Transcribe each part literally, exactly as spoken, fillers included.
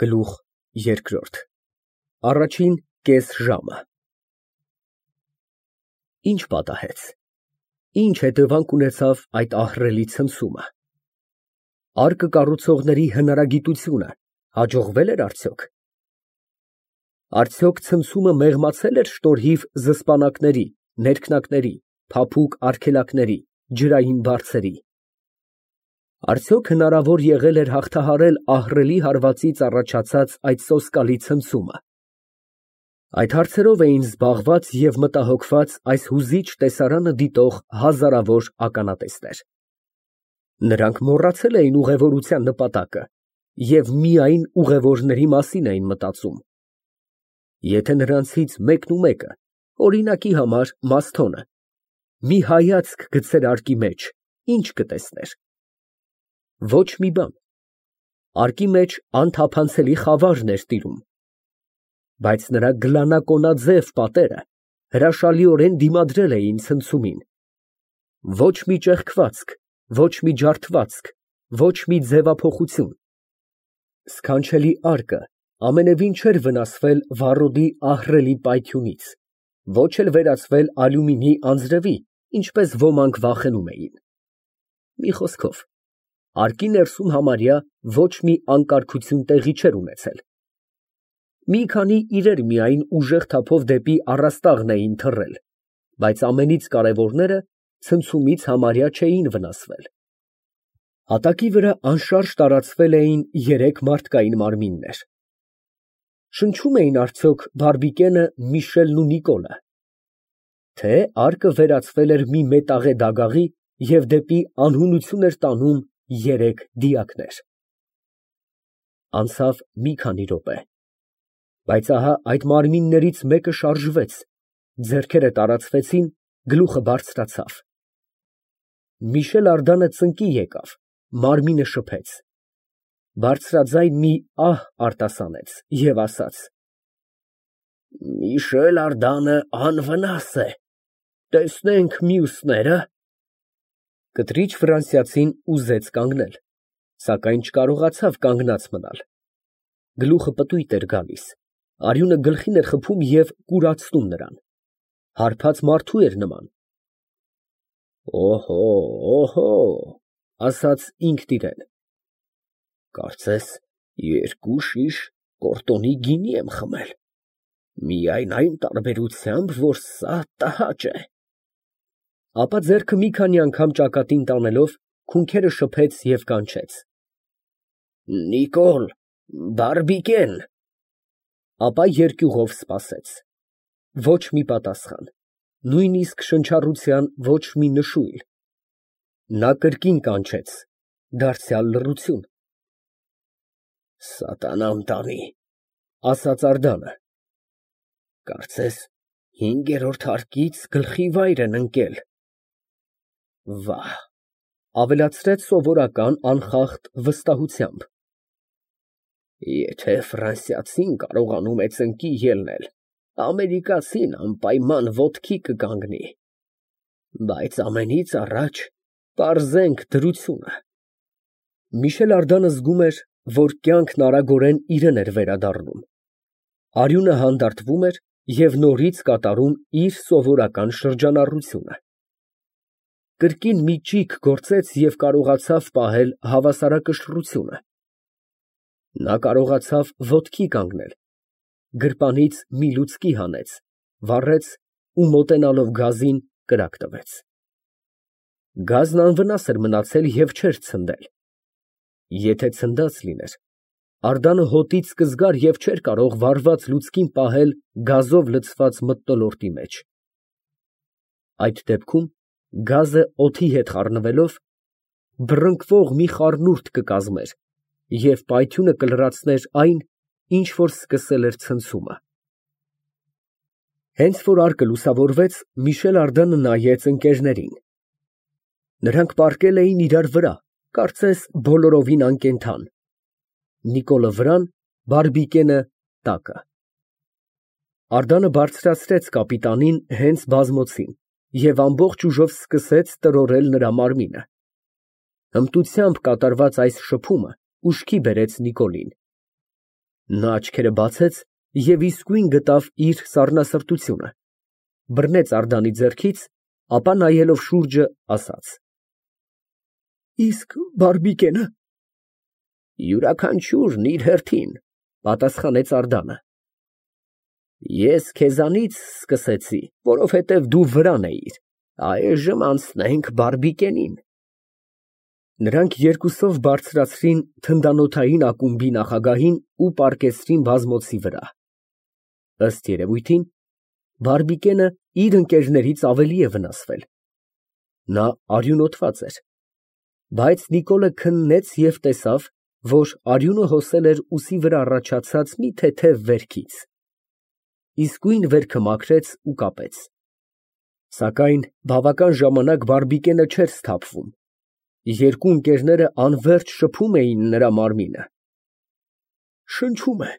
Գլուխ երկրորդ Առաջին կես ժամը Ինչ պատահեց, ինչ հետևանք ունեցավ այդ ահռելի ցնցումը, արկը կառուցողների հնարագիտությունը հաջողվե՞լ էր արդյոք, արդյոք ցնցումը մեղմացե՞լ էր շնորհիվ զսպանակների, ներքնակների, փափուկ արգելակների, ջրային բարձերի, արդյոք հնարավոր եղել էր հաղթահարել ահռելի հարվածից առաջացած այդ սոսկալի ցնցումը, այդ հարցերով էին զբաղված և մտահոգված այս հուզիչ տեսարանը դիտող հազարավոր ականատեսներ, նրանք մոռացել էին ուղևորության նպատակը և միայն ուղևորների մասին էին մտածում, եթե նրանցից մեկնումեկը, օրինակի համար Մասթոնը, մի հայացք գցեր արկի մեջ, ինչ կտեսներ, ոչ մի բան, արկի մեջ անթափանցելի խավարն էր տիրում, բայց նրա գլանակոնաձև պատերը հրաշալիորեն դիմադրել էին ցնցումին, ոչ մի ճեղքվածք, ոչ մի ջարդվածք, ոչ մի ձևափոխություն, սքանչելի արկը ամենևին չէր վնասվել վառոդի ահռելի պայթյունից, ոչ էլ վերածվել ալյումինի անձրևի, ինչպես ոմանք վախենում էին, մի խոսքով, արկի ներսում համարյա ոչ մի անկարգություն տեղի չէր ունեցել, մի քանի իրեր միայն ուժեղ թափով դեպի առաստաղն էին թռել, բայց ամենից կարևորները ցնցումից համարյա չէին վնասվել, հատակի վրա անշարժ տարածվել էին երեք մարդկային մարմիններ, շնչում էին արդյոք Բարբիկենը, Միշելն ու Նիկոլը, թե արկը վերածվել էր մի մետաղե դագաղի և դեպի անհունություն էր տանում երեք դիակներ, անցավ մի քանի րոպե, բայց ահա այդ մարմիններից մեկը շարժվեց, ձեռքերը տարածվեցին, գլուխը բարձրացավ, Միշել Ардանը ծնկի եկավ, մարմինը շփեց, բարձրաձայն մի ահ արտասանեց և ասաց. Միշել Ардանը անվնաս է, տեսնենք մյուսները, կտրիչ ֆրանսիացին ուզեց կանգնել, սակայն չկարողացավ կանգնած մնալ, գլուխը պտույտ էր գալիս, արյունը գլխին էր խփում և կուրացնում նրան, հարբած մարդու էր նման, օհո, օհո, ասաց ինքն իրան, կարծես երկու շիշ կորտոնի գինի եմ խմել, միայն այն տարբերությամբ, որ սա տհաճ է, ապա ձեռքը մի քանի անգամ ճակատին տանելով, քունքերը շփեց և կանչեց. Նիկոլ, Բարբիկեն, ապա երկյուղով սպասեց, ոչ մի պատասխան, նույնիսկ շնչառության ոչ մի նշույլ, նա կրկին կանչեց, դարձյալ լռություն, սատանան տանի, ասաց Ардանը, կարծես հինգերորդ հարկից գլխի վայր են ընկել, վահ, ավելացրեց սովորական անխախտ վստահությամբ, եթե ֆրանսիացին կարողանում է ծնկի ելնել, ամերիկացին անպայման ոտքի կկանգնի, բայց ամենից առաջ պարզենք դրությունը, Միշել Ардանը զգում էր, որ կյանքն արագորեն իրան էր վերադառնում, արյունը հանդարտվում էր և նորից կատարում իր սովորական շրջանառությունը, կրկին մի ճիգ գործեց և կարողացավ պահել հավասարակշռությունը, նա կարողացավ ոտքի կանգնել, գրպանից մի լուցկի հանեց, վառեց ու մոտենալով գազին, կրակ տվեց, գազն անվնաս էր մնացել և չէր ցնդել, եթե ցնդած լիներ, Ардանը հոտից կզգար և չէր կարող վառված լուցկին պահել գազով լցված մթնոլորտի մեջ, այդ դեպքում գազը օդի հետ խառնվելով, բռնկվող մի խառնուրդ կկազմեր և պայթյունը կլրացներ այն, ինչ որ սկսել էր ցնցումը, հենց որ արկը լուսավորվեց, Միշել Ардանը նայեց ընկերներին, նրանք պառկել էին իրար վրա, կարծես բոլորովին անկենդան, Նիկոլը վրան, Բարբիկենը տակը, Ардանը բարձրացրեց կապիտանին հենց բազմոցին և ամբողջ ուժով սկսեց տրորել նրա մարմինը, հմտությամբ կատարված այս շփումը ուշքի բերեց Նիկոլին, Նա աչքերը բացեց և իսկույն գտավ իր սառնասրտությունը, բռնեց Անդրեասի ձեռքից, ապա նայելով շուրջը, ասաց. Իսկ բաբիկենը։ Յուրաքանչյուրն իր հերթին, պատասխանեց Անդրեասը։ Ես քեզանից սկսեցի, որովհետև դու վրան էիր, այժմ անցնենք բաբիկենին։ Նրանք երկուսով բարձրացրին թնդանոթային ակումբի նախագահին ու պառկեցրին բազմոցի վրա։ Ըստ երևույթին, բաբիկենը իր ընկերներից ավելի է վնասվել. նա արյունոտված էր, բայց Նիկոլը քննեց և տեսավ, որ արյունը հոսել էր ուսի վրա առաջացած մի թեթև վերքից, իսկույն վերքը մաքրեց ու կապեց, սակայն բավական ժամանակ բաբիկենը չէր սթափվում, երկու ընկերները անվերջ շփում էին նրա մարմինը։ Շնչում է,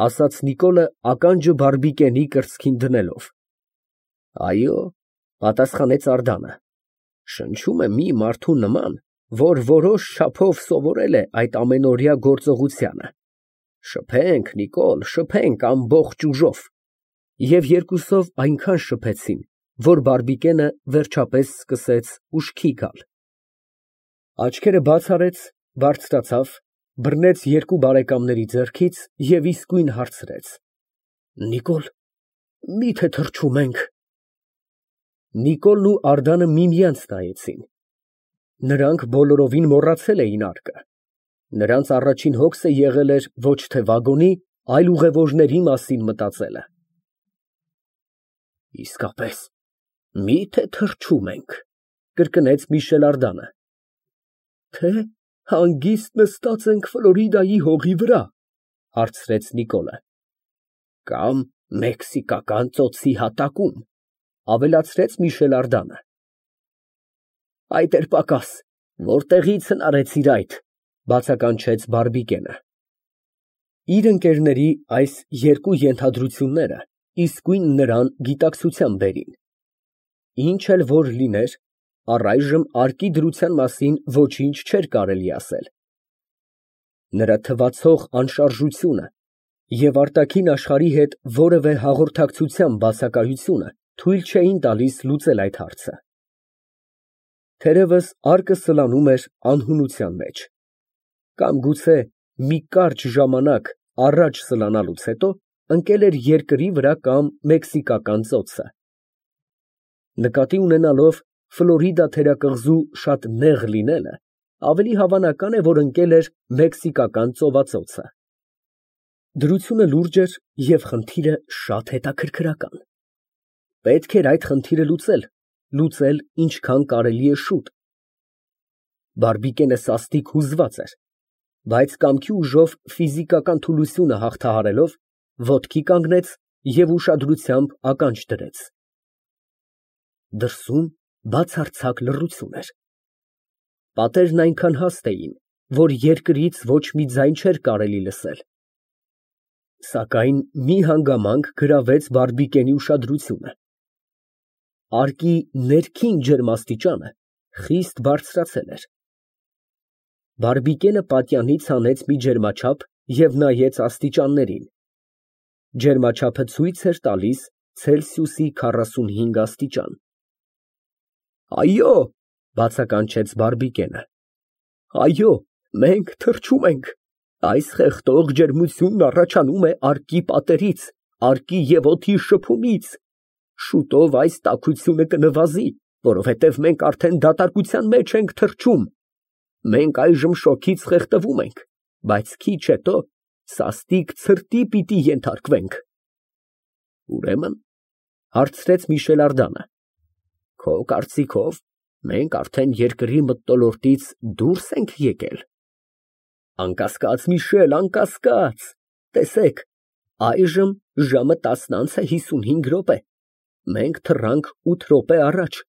ասաց Նիկոլը ականջը բաբիկենի կրծքին դնելով։ Այո, պատասխանեց Անդրեասը, շնչում է մի մարդու նման, որ որոշ չափով սովորել է այդ ամենօրյա գործողությանը։ Շփենք, Նիկոլ, շփենք ամբողջ ուժով։ Եվ երկուսով այնքան շփեցին, որ բաբիկենը վերջապես սկսեց ուշքի գալ։ Աչքերը բաց արեց, բարձրացավ, բռնեց երկու բարեկամների ձեռքից և իսկույն հարցրեց. Նիկոլ, մի՞թե թռչում ենք։ Նիկոլն ու Անդրեասը միմյանց նայեցին։ Նրանք բոլորովին մոռացել էին արկը։ Նրանց առաջին հոգսը եղել էր ոչ թե վագոնի, այլ ուղևորների մասին մտածելը։ Իսկապես, մի՞թե թռչում ենք, կրկնեց Միշել։ Թե հանգիստ նստած ենք Ֆլորիդայի հողի վրա, հարցրեց Նիկոլը։ Կամ մեքսիկական ծոցի հատակում, ավելացրեց Միշել։ Այդ էր պակաս, որտեղի՞ց հնարեցիր այդ, բացականչեց բաբիկենը։ Իր ընկերների այս երկու ենթադրությունները իսկույն նրան գիտակցության բերին։ Ինչ էլ որ լիներ, առայժմ արկի դրության մասին ոչինչ չէր կարելի ասել։ Նրա թվացող անշարժությունը և արտաքին աշխարհի հետ որևէ հաղորդակցության բացակայությունը թույլ չէին տալիս լուծել այդ հարցը։ Թերևս արկը սլանում էր անհունության մեջ, կամ գուցե մի կարճ ժամանակ առաջ սլանալուց հետո ընկել էր երկրի վրա կամ մեքսիկական ծոցը։ Նկատի ունենալով Ֆլորիդա թերակղզու շատ նեղ լինելը, ավելի հավանական է, որ ընկել էր մեքսիկական ծովածոցը։ Դրությունը լուրջ էր և խնդիրը շատ հետաքրքրական։ Պետք էր այդ խնդիրը լուծել, լուծել ինչքան կարելի է շուտ։ Բաբիկենը սաստիկ հուզված էր, բայց կամքի ուժով ֆիզիկական թուլությունը հաղթահարելով, ոտքի կանգնեց և ուշադրությամբ ականջ դրեց։ Դրսում բացարձակ լռություն էր։ Պատերն այնքան հաստ էին, որ երկրից ոչ մի ձայն չէր կարելի լսել։ Սակայն մի հանգամանք գրավեց բաբիկենի ուշադրությունը։ Արկի ներքին ջերմաստիճանը խիստ բարձրացել էր։ Բաբիկենը պատյանից հանեց մի ջերմաչափ և նայեց աստիճաններին։ Ջերմաչափը ցույց էր տալիս Ցելսիուսի քառասունհինգ աստիճան։ Այո, բացականչեց բաբիկենը։ Այո, մենք թռչում ենք։ Այս խեղդող ջերմությունն առաջանում է արկի պատերից, արկի և օդի շփումից։ Շուտով այս տաքությունը կնվազի, որովհետև մենք արդեն դատարկության մեջ ենք թռչում։ Մենք այժմ շոգից խեղդվում ենք, բայց քիչ հետո սաստիկ ցրտի պիտի ենթարկվենք։ Ուրեմն, հարցրեց Միշել։ Քո կարծիքով մենք արդեն երկրի մթնոլորտից դուրս ենք եկել։ Անկասկած, Միշել, անկասկած, տեսեք, այժմ ժամը տասն անց է հիսունհինգ րոպե, մենք թռանք ութ րոպե առաջ։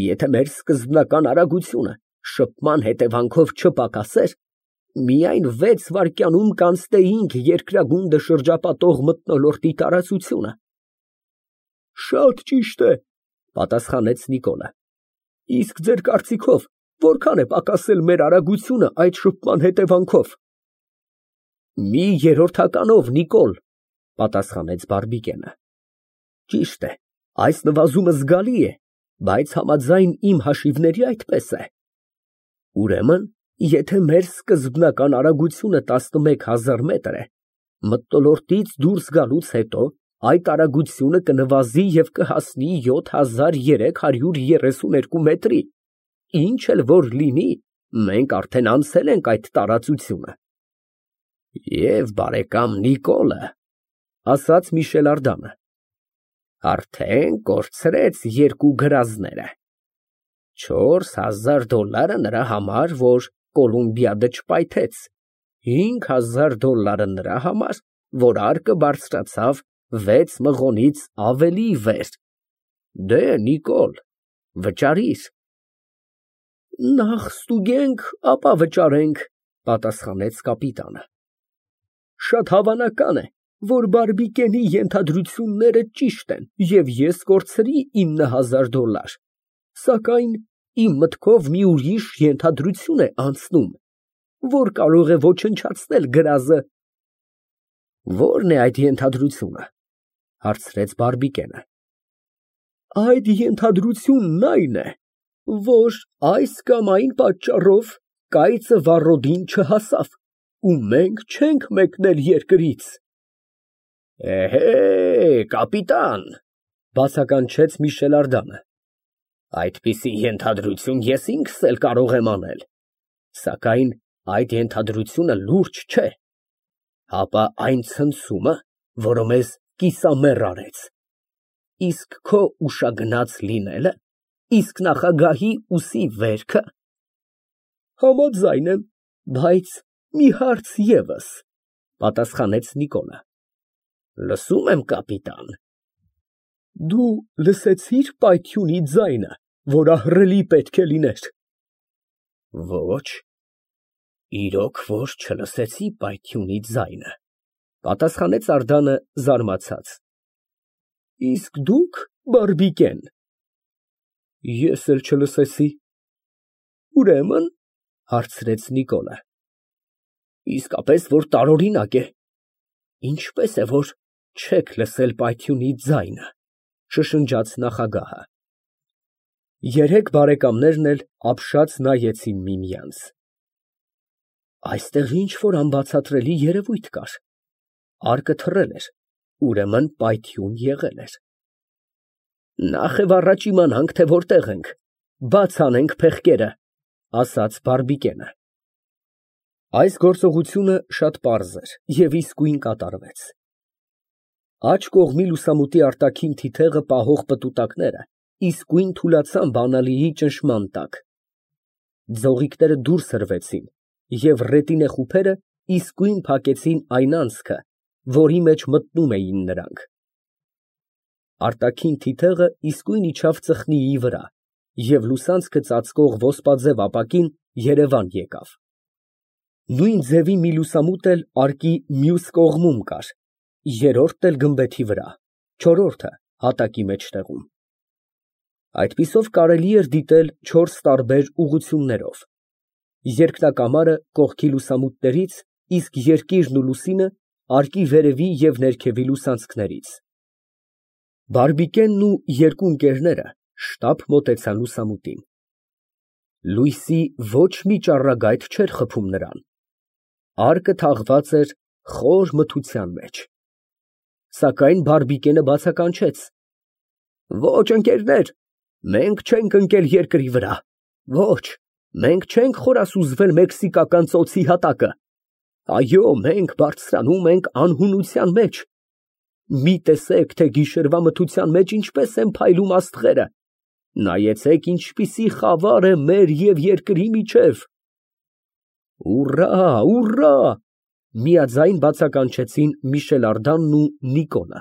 Եթե մեր սկզբնական արագությունը շփման հետևանքով չպակասեր, միայն վեց վայրկյանում կանցնեինք երկրագունդը շրջապատող մթնոլորտի տարածությունը։ Շատ ճիշտ է, պատասխանեց Նիկոլը։ Իսկ ձեր կարծիքով որքան է պակասել մեր արագությունը այդ շփման հետևանքով։ Մի երրորդականով, Նիկոլ, պատասխանեց Բարբիկենը։ Ճիշտ է, այս նվազումը զգալի է, բայց համաձայն իմ հաշիվների այդպես է։ Ուրեմն, եթե մեր սկզբնական արագությունը տասնմեկ հազար մետր է, մթնոլորտից դուրս գալուց հետո այդ արագությունը կնվազի և կհասնի յոթ հազար երեք հարյուր երեսուն երկու մետրի, ինչ էլ որ լինի, մենք արդեն անցել ենք այդ տարածությունը։ Եվ բարեկամ Նիկոլը, ասաց Միշել Ардանը, արդեն կորցրեց երկու գրազները, չորս հազար դոլարը նրա համար, որ Կոլումբիադը չպայթեց, հինգ հազար դոլարը նրա համար, որ արկը բարձրացավ վեց մղոնից ավելի վեր։ Դե, Նիկոլ, վճարիր։ Նախ ստուգենք, ապա վճարենք, պատասխանեց կապիտանը։ Շատ հավանական է, որ Բարբիկենի ենթադրությունները ճիշտ են, և ես կորցրի ինը հազար դոլար, սակայն իմ մտքով մի ուրիշ ենթադրություն է անցնում, որ կարող է ոչնչացնել գրազը։ Ո՞րն է այդ ենթադրությունը, հարցրեց Բարբիկենը։ Այդ ենթադրությունն այն է, որ այս կամ այն պատճառով կայծը վառոդին չհասավ, ու մենք չենք մեկնել երկրից։ Էհե, կապիտան, բացականչեց Միշել Ардանը, այդպիսի ենթադրություն ես ինքս էլ կարող եմ անել, սակայն այդ ենթադրությունը լուրջ չէ, հապա այն ցնցումը, որը մեզ կիսամեռ արեց, իսկ քո ուշագնաց լինելը, իսկ նախագահի ուսի վերքը։ Համաձայն եմ, բայց մի հարց ևս, պատասխանեց Նիկոլը։ Լսում եմ, կապիտան։ Դու լսեցի՞ր պայթյունի ձայնը, որ ահռելի պետք է լիներ։ Ոչ, իրոք որ չլսեցի պայթյունի ձայնը, պատասխանեց Ардանը զարմացած։ Իսկ դուք, Բարբիկեն։ Ես էլ չլսեցի։ Ուրեմն, հարցրեց Նիկոլը, իսկապես որ տարօրինակ է, ինչպես է, որ չեք լսել պայթյունի ձայնը, շշնջաց նախագահը։ Երեք բարեկամներն էլ ապշած նայեցին միմյանց։ Այստեղ ինչ֊որ անբացատրելի երևույթ կար, արկը թռել էր, ուրեմն պայթյուն եղել էր։ Նախ և առաջ իմանանք, թե որտեղ ենք, բաց անենք փեղկերը, ասաց Բարբիկենը։ Այս գործողությունը շատ պարզ էր և իսկույն կատարվեց։ Աջ կողմի լուսամուտի արտաքին թիթեղը պահող պտուտակները իսկույն թուլացան բանալիի ճնշման տակ։ Ձողիկները դուրս հրվեցին, և ռետինե խուփերը իսկույն փակեցին այն անցքը, որի մեջ մտնում էին նրանք։ Արտաքին թիթեղը իսկույն իջավ ծխնիի վրա, և լուսանցքը ծածկող ոսպաձև ապակին երևան եկավ։ Նույն ձևի մի լուսամուտ էլ արկի մյուս կողմում կար, երրորդն էլ գմբեթի վրա, չորրորդը հատակի մեջտեղում։ Այդպիսով կարելի էր դիտել չորս տարբեր ուղղություններով. երկնակամարը կողքի լուսամուտներից, իսկ երկիրն ու լուսինը արկի վերևի և ներքևի լուսանցքներից։ Բարբիկենն ու երկու ընկերները շտապ մոտեցան լուսամուտին։ Լույսի ոչ մի ճառագայթ չէր խփում նրան։ Արկը թաղված էր խոր մթության մեջ։ Սակայն Բարբիկենը բացականչեց. Ոչ, ընկերներ, մենք չենք ընկել երկրի վրա, ոչ, մենք չենք խորասուզվել մեքսիկական ծոցի հատակը, այո, մենք բարձրանում ենք անհունության մեջ։ Մի տեսեք, թե գիշերվա մթության մեջ ինչպես են փայլում աստղերը, նայեցեք, ինչպիսի խավար է մեր և երկրի միջև։ Ուռա, ուռա, միաձայն բացականչեցին Միշել Արդանն ու Նիկոլը։